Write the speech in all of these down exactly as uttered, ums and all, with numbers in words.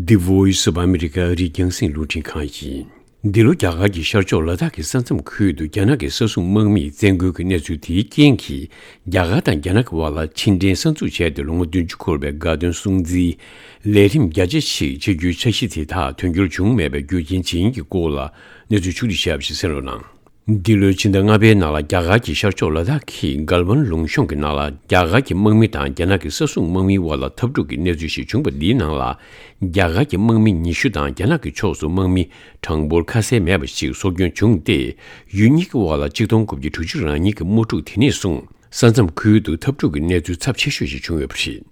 The Voice of America ཨ་རིའི་རྒྱང་སྲིང་རླུང་འཕྲིན་ཁང་ཡིན། འདི་ལོ་རྒྱ་གར་གྱི་ཤར་ཕྱོགས་ལ་དྭགས་ཀྱི་ས་མཚམས་ཁུལ་དུ་རྒྱ་ནག་གི་ས་སྲུང་དམག་མིས་བཙན་རྒོལ་གྱི་གནས་ཚུལ་དེའི་རྐྱེན་གྱིས། རྒྱ་གར་དང་རྒྱ་ནག་གི་དབར་ལ་ཕྱི་འབྲེལ་གསར་འཛུགས་བྱས་ཏེ་ལོ་ངོ་བདུན་ཅུ་འཁོར་བའི་དགའ་སྟོན་སྲུང་བརྩིའི་ལས་རིམ་རྒྱ་ཆེ་ཞིག་བྱེད་རྒྱུའི་འཆར་གཞི་དེ་དག་དོན་འཁྱོལ་བྱུང་མེད་པའི་རྒྱུ་རྐྱེན་ཇི་ཡིན་གྱི་སྐོར་ལ་གནས་ཚུལ་ཕྱོགས་བསྒྲིགས་བྱས་པ་ཞིག་གསན་རོགས་གནང་། འདི་ལོའི་ཕྱི་ཟླ་ལྔ་པའི་ནང་ལ་རྒྱ་གར་གྱི་ཤར་ཕྱོགས་ལ་དྭགས་ཀྱི་གལ་ཝན་ལུང་གཤོང་གི་ནང་ལ་རྒྱ་གར་གྱི་དམག་མི་དང་རྒྱ་ནག་གི་ས་སྲུང་དམག་མིའི་དབར་ལ་འཐབ་འཁྲུག་གི་གནས་ཚུལ་ཞིག་བྱུང་བ་འདིའི་ནང་ལ། རྒྱ་གར་གྱི་དམག་མི་ཉི་ཤུ་དང་རྒྱ་ནག་གི་ཕྱོགས་སུ་དམག་མི་གྲངས་འབོར་ཁ་གསལ་མེད་པ་ཞིག་སྲོག་སྐྱོན་བྱུང་སྟེ། ཡུལ་གཉིས་ཀྱི་དབར་ལ་ཆིག་སྟོང་དགུ་བརྒྱ་དྲུག་ཅུ་རེ་གཉིས་ཀྱི་དམག་འཁྲུག་དེ་ནས་བཟུང་ས་མཚམས་ཁུལ་དུ་འཐབ་འཁྲུག་གི་གནས་ཚུལ་ཚབས་ཆེ་ཤོས་ཤིག་བྱུང་ཡོད་པ་རེད།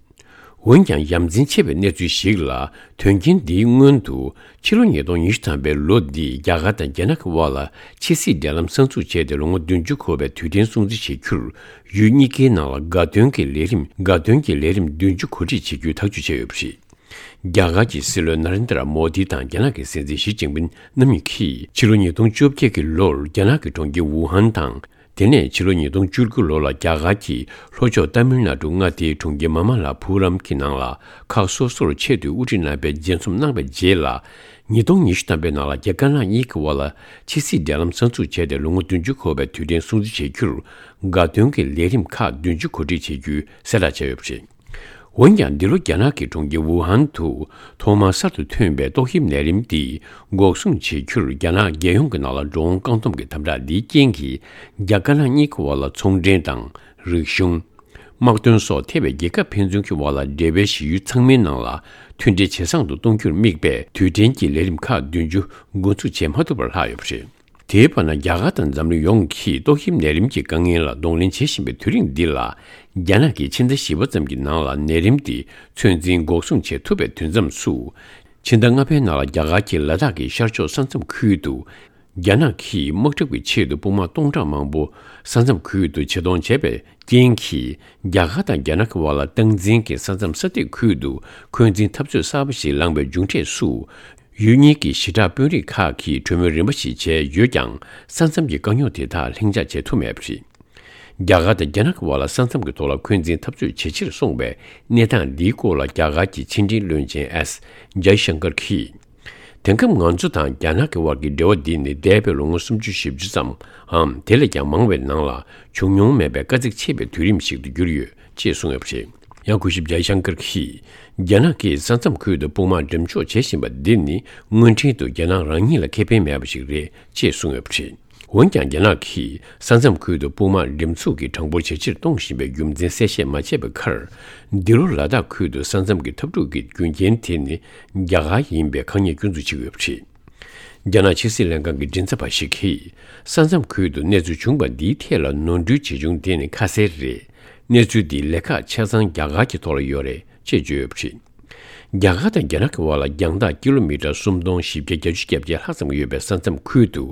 འོན་ཀྱང་ཡ་མཚན་ཆེ་བའི་གནས་ཚུལ་ཞིག་ལ། དོན་རྐྱེན་འདིའི་སྔོན་དུ་ཕྱི་ལོ་ཉིས་སྟོང་ཉི་ཤུ་ཐམ་པའི་ལོ་འདིའི་རྒྱ་གར་དང་རྒྱ་ནག་གི་དབར་ལ་ཕྱི་སྲིད་འབྲེལ་ལམ་གསར་འཛུགས་བྱས་ཏེ་ལོ་ངོ་བདུན་ཅུ་འཁོར་བའི་དུས་དྲན་སྲུང་བརྩི་བྱེད་རྒྱུར། ཡུལ་གཉིས་ཀའི་ནང་ལ་དགའ་སྟོན་གྱི་ལས་རིམ་དགའ་སྟོན་གྱི་ལས་རིམ་བདུན་ཅུ་གོ་སྒྲིག་བྱེད་རྒྱུའི་ཐག་གཅོད་བྱས་ཡོད་པ་རེད། རྒྱ་གར་གྱི་སྲིད་བློན་ན་རེན་དྲ་མོ་དི་དང་རྒྱ་ནག་གི་སྲིད་འཛིན་ཞི་ཅིན་ཕིན་རྣམ་གཉིས་ཀྱིས་ཕྱི་ལོ་ཉིས་སྟོང་བཅོ་བརྒྱད་ཀྱི་ལོར་རྒྱ་ནག་གི་གྲོང་ཁྱེར་ཝུ་ཧན་དང་། དེ་ནས་ཕྱི་ལོ་ཉིས་སྟོང་བཅུ་དགུ་ལོ་ལ་རྒྱ་གར་གྱི་ལྷོ་ཕྱོགས་ཏ་མིལ་ནཱ་ཌུ་མངའ་སྡེའི་གྲོང་ཁྱེར་མ་མ་ལ་པུ་རམ་གྱི་ནང་ལ་ཁག་སོ་སོར་ཆེད་དུ་དབུ་ཁྲིད་རྣམ་པས་མཇལ་འཛོམས་གནང་བའི་རྗེས་ལ། ཉིས་སྟོང་ཉི་ཤུ་ཐམ་པའི་ནང་ལ་རྒྱ་དཀར་ནག་གཉིས་ཀྱི་དབར་ལ་ཕྱི་སྲིད་འབྲེལ་ལམ་གསར་འཛུགས་བྱས་ཏེ་ལོ་ངོ་བདུན་ཅུ་འཁོར་བའི་དུས་དྲན་སྲུང་བརྩི་བྱེད་རྒྱུར། དགའ་སྟོན་གྱི་ལས་རིམ་ཁག་བདུན་ཅུ་གོ་སྒྲིག་བྱེད་རྒྱུའི་གསལ་བསྒྲགས་བྱས་ཡོད་པ་རེད། འོན་ཀྱང་འདི་ལོ་རྒྱ་ནག་གི་གྲོང་ཁྱེར་ཝུ་ཧན་དུ་ཐོག་མར་གསར་དུ་ཐོན་པའི་ཏོག་དབྱིབས་ནད་རིམས་འདི་འགོག་སྲུང་བྱེད་རྒྱུར་རྒྱ་ནག་རྒྱལ་ཡོངས་ཀྱི་ནང་ལ་འགྲོ་འོང་བཀག་སྡོམ་གྱི་དམ་དྲག་འདིའི་རྐྱེན་གྱིས་རྒྱ་དཀར་ནག་གཉིས་ཀྱི་དབར་ལ་ཚོང་འབྲེལ་དང་རིག་གཞུང་། དམག་དོན་སོགས་ཐེ་བའི་རྒྱལ་ཁབ་ཕན་ཚུན་གྱི་དབར་ལ་འབྲེལ་བའི་གཞི་ཡུལ་ཚང་མའི་ནང་ལ་མཐུན་སྒྲིལ་ཇེ་བཟང་དུ་གཏོང་རྒྱུར་དམིགས་པའི་དུས་དྲན་གྱི་ལས་རིམ་ཁག་བདུན་ཅུ་འགོ་འཛུགས་བྱེད་མ་ཐུབ་པར་ལྷག་ཡོད་པ་རེད། དེའི་བར་ན་རྒྱ་གར་དང་འཛམ་གླིང་ཡོངས་ཀྱིས་ཏོག་དབྱིབས་ནད་རིམས་ཀྱི་དཀའ་ངལ་ལ་གདོང་ལེན་བྱེད་བཞིན་པའི་དུས་རིང་འདི་ལ། རྒྱ་ནག་གིས་ཕྱི་ཟླ་བཞི་པ་ཙམ་གྱི་ནང་ལ་ནད་རིམས་འདི་ཚོད་འཛིན་འགོག་སྲུང་བྱེད་ཐུབ་པའི་དུས་མཚམས་སུ། ཕྱི་ཟླ་ལྔ་པའི་ནང་ལ་རྒྱ་གར་གྱི་ལ་དྭགས་ཀྱི་ཤར་ཕྱོགས་ས་མཚམས་ཁུལ་དུ། རྒྱ་ནག་གིས་དམག་འཁྲུག་གི་ཆེད་དུ་དཔུང་དམག་སྟོང་ཕྲག་མང་པོ་ས་མཚམས་ཁུལ་དུ་ཆེད་གཏོང་བྱས་པའི་རྐྱེན་གྱིས། རྒྱ་གར་དང་རྒྱ་ནག་གི་དབར་ལ་སྟངས་འཛིན་གྱི་ས་མཚམས་ས་ཐིག་ཁུལ་དུ་འཁོན་འཛིན་འཐབ་རྩོད་གསར་པ་ཞིག་ལངས་པའི་མཇུག་འབྲས་སུ། ཡུལ་གཉིས་ཀྱི་ཞི་དྲག་དཔོན་རིགས་ཁག་གིས་གྲོས་མོལ་རིམ་པ་ཞིག་བྱས་ཡོད་ཀྱང་། ས་མཚམས་ཀྱི་དཀའ་རྙོག་དེ་དག་ལྷིང་འཇགས་བྱེད་ཐུབ་མེད་པ་རེད། རྒྱ་གར་དང་རྒྱ་ནག་གི་དབར་ལ་ས་མཚམས་ཀྱི་ཐོག་ལ་འཁོན་འཛིན་འཐབ་རྩོད་ཇེ་ཆེར་སོང་བའི་གནས་སྟངས་འདིའི་སྐོར་ལ་རྒྱ་གར་གྱི་ཕྱི་འབྲེལ་བློན་ཆེན་ཨེས་ཇའི་ཤང་ཀར་གྱིས། དེང་སྐབས་ང་ཚོ་དང་རྒྱ་ནག་གི་དབར་གྱི་འབྲེལ་བ་འདི་ནི་འདས་པའི་ལོ་ངོ་སུམ་ཅུ་བཞི་བཅུ་ཙམ་འམ་དེ་ལས་ཀྱང་མང་བའི་ནང་ལ་བྱུང་མྱོང་མེད་པའི་དཀའ་ཚེགས་ཆེ་བའི་དུས་རིམ་ཞིག་ཏུ་གྱུར་ཡོད་ཅེས་གསུངས་ཡོད་པ་རེད། ཡང་སྐུ་ཞབས་ཇའི་ཤང་ཀར་གྱིས། རྒྱ་ནག་གིས་ས་མཚམས་ཁུལ་དུ་དཔུང་དམག་འགྲེམས་འཇོག་བྱེད་བཞིན་པ་འདི་ནི་དངོས་འབྲེལ་དུ་རྒྱ་ནག་རང་ཉིད་ལ་ཁེ་ཕན་མེད་པ་ཞིག་རེད་ཅེས་གསུངས་ཡོད་པ་རེད། འོན་ཀྱང་རྒྱ་ནག་གིས་ས་མཚམས་ཁུལ་དུ་དཔུང་དམག་འགྲེམས་འཛུགས་ཀྱི་གྲངས་འབོར་ཇེ་ཆེར་གཏོང་བཞིན་པའི་རྒྱུ་མཚན་གསལ་བཤད་མ་བྱས་པའི་ཁར། འདི་ལོ་ལ་དྭགས་ཁུལ་དུ་ས་མཚམས་ཀྱི་འཐབ་འཁྲུག་གི་རྒྱུ་རྐྱེན་དེ་ནི་རྒྱ་གར་ཡིན་པའི་ཁ་ཉེས་སྐྱོན་འཛུགས་བྱེད་ཀྱི་ཡོད་པ་རེད། རྒྱ་ནག་ཕྱི་སྲིད་ལྷན་ཁང་གི་མགྲིན་ཚབ་པ་ཞིག་གིས། ས་མཚམས་ཁུལ་དུ་གནས་ཚུལ་བྱུང་བ་འདིའི་ཐད་ལ་ནོར་འཁྲུལ་ཇི་བྱུང་དེ་ནི་ཁ་གསལ་རེད། གནས་ཚུལ་འདིའི་ལེ་ཁག་ཆ་ཚང་རྒྱ་གར་གྱི་ཐོག་ལ་ཡོད་རེད་ཅེས་བརྗོད་ཡོད་པ་རེད། རྒྱ་གར་དང་རྒྱ་ནག་གི་དབར་ལ་རྒྱང་ཐག་ཀི་ལོ་མི་ཊར་སུམ་སྟོང་བཞི་བརྒྱ་གྱ་བརྒྱད་ལྷག་ཙམ་ཡོད་པའི་ས་མཚམས་ཁུལ་དུ།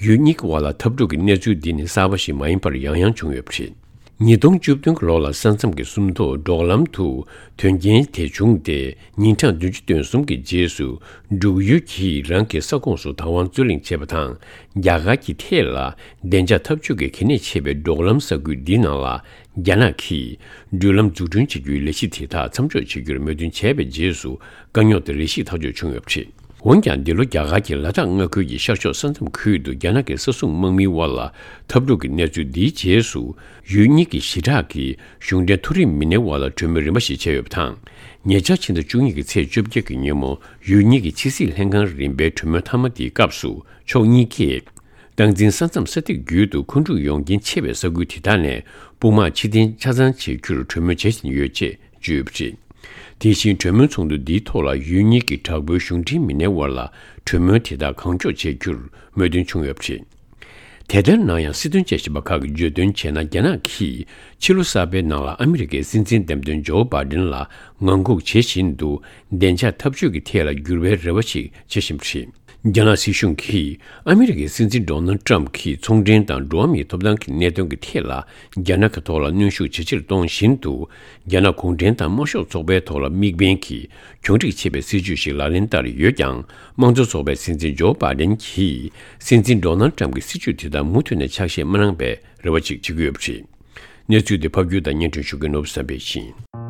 ཡུལ་གཉིས་ཀྱི་དབར་ལ་འཐབ་འཁྲུག་གི་གནས་ཚུལ་འདི་ནི་གསར་པ་ཞིག་མ་ཡིན་པར་ཡང་ཡང་བྱུང་ཡོད་པ་རེད། ཉིས་སྟོང་བཅུ་བདུན་གྱི་ལོ་ལ་ས་མཚམས་ཀྱི་སུམ་མདོ་འབྲོག་ལམ་དུ་དོན་རྐྱེན་དེ་བྱུང་སྟེ། ཉིན་གྲངས་བདུན་ཅུ་དོན་གསུམ་གྱི་རྗེས་སུ། འབྲུག་ཡུལ་གྱིས་རང་གི་ས་ཁོངས་སུ་བདག་དབང་རྩོད་གླེང་བྱས་པ་དང་། རྒྱ་གར་གྱི་ཐད་ལ། བདེ་འཇགས་འཐབ་ཇུས་ཀྱི་གལ་གནད་ཆེ་བའི་འབྲོག་ལམ་ས་ཁུལ་འདིའི་ནང་ལ། རྒྱ་ནག་གིས། འགྲུལ་ལམ་འཛུགས་སྐྲུན་བྱེད་རྒྱུའི་ལས་གཞི་དེ་དག་མཚམས་འཇོག་བྱེད་རྒྱུར་མོས་མཐུན་བྱས་པའི་རྗེས་སུ། དཀའ་རྙོག་དེ་རེ་ཞིག་ཐག་གཅོད་བྱུང་ཡོད་པ་རེད། འོན་ཀྱང་། འདི་ལོ་རྒྱ་གར་གྱི་ལ་དྭགས་མངའ་ཁུལ་གྱི་ཤར་ཕྱོགས་ས་མཚམས་ཁུལ་དུ་རྒྱ་ནག་གི་ས་སྲུང་དམག་མིའི་དབར་ལ་འཐབ་འཁྲུག་གི་གནས་ཚུལ་འདིའི་རྗེས་སུ། ཡུལ་གཉིས་ཀྱི་ཞི་དྲག་གིས་གཞུང་འབྲེལ་མཐོ་རིམ་མི་སྣའི་དབར་ལ་གྲོས་མོལ་རིམ་པ་ཞིག་བྱས་ཡོད་པ་དང་། ཉེ་ཆར་ཕྱི་ཟླ་བཅུ་གཉིས་ཀྱི་ཚེས་བཅོ་བརྒྱད་ཀྱི་ཉིན་མོ། ཡུལ་གཉིས་ཀྱི་ཕྱི་སྲིད་ལྷན་ཁང་རིམ་པའི་གྲོས་མོལ་མཐའ་མ་དེའི་སྐབས་སུ། ཕྱོགས་གཉིས་ཀས། སྟངས་འཛིན་ས་མཚམས་ས་ཐིག་བརྒྱུད་དུ་འཁོན་འཁྲུག་ཡོང་རྐྱེན་ཆེ་བའི་ས་ཁུལ་དེ་དག་ནས་དཔུང་དམག་ཕྱིར་འཐེན་ཆ་ཚང་བྱེད་རྒྱུར་གྲོས་མོལ་བྱེད་བཞིན་ཡོད་ཅེས་བརྗོད་ཡོད་པ་རེད། དེ་བཞིན་གྲོས་མོལ་ཚོགས་འདུ་འདིའི་ཐོག་ལ་ཡུལ་གཉིས་ཀྱི་དྲག་པོའི་གཞུང་འབྲེལ་མི་སྣའི་དབར་ལ་གྲོས་མོལ་དེ་དག་གང་མགྱོགས་བྱེད་རྒྱུར་མོས་མཐུན་བྱུང་ཡོད་པ་རེད། དེ་ལྟར་ན་ཡང་སྲིད་དོན་དཔྱད་ཞིབ་པ་ཁག་གིས་བརྗོད་དོན་བྱས་ན། རྒྱ་ནག་གིས་ཕྱི་ལོ་གསར་པའི་ནང་ལ་ཨ་མི་རི་ཀའི་སྲིད་འཛིན་འདེམས་ཐོན་ཇོ་བྷ་ཌེན་ལ་ངང་སྒུག་བྱེད་བཞིན་དུ་བདེ་འཇགས་འཐབ་ཇུས་ཀྱི་ཐད་ལ་འགྱུར་བའི་རེ་བ་ཞིག་བྱེད་བཞིན་པ་རེད། རྒྱ་ནག་སྲིད་གཞུང་གིས་ཨ་མི་རི་ཀའི་སྲིད་འཛིན་ཌོ་ནལ་ཌི་ཊརམ་གྱིས་ཚོང་འབྲེལ་དང་འགྲོ་བ་མིའི་ཐོབ་ཐང་གི་གནད་དོན་གྱི་ཐད་ལ་རྒྱ་ནག་གི་ཐོག་ལ་གནོན་ཤུགས་ཇེ་ཆེར་གཏོང་བཞིན་དུ། རྒྱ་ནག་གུང་ཁྲན་ཏང་དམར་ཤོག་ཚོགས་པའི་ཐོག་ལ་དམིགས་འབེན་གྱིས་གྱོང་རིག་ཆེ་བའི་སྲིད་ཇུས་ཤིག་ལག་ལེན་བསྟར་ཡོད་ཀྱང་། དམངས་གཙོ་ཚོགས་པའི་སྲིད་འཛིན་ཇོ་བྷ་ཌེན་གྱིས་སྲིད་འཛིན་ཌོ་ནལ་ཌི་ཊརམ་གྱི་སྲིད་ཇུས་དེ་དག་མུ་མཐུད་ནས་ཆ་ཤས་མ་གནང་བའི་རེ་བ་ཅིག་བྱེད་ཀྱི་ཡོད་པ་རེད། གནས་ཚུལ་དེ་ཕབ་སྒྱུར་དང་སྙན་སྒྲོན་ཞུ་མཁན་ནོར་བུ་བསམ་འཕེལ་ཡིན།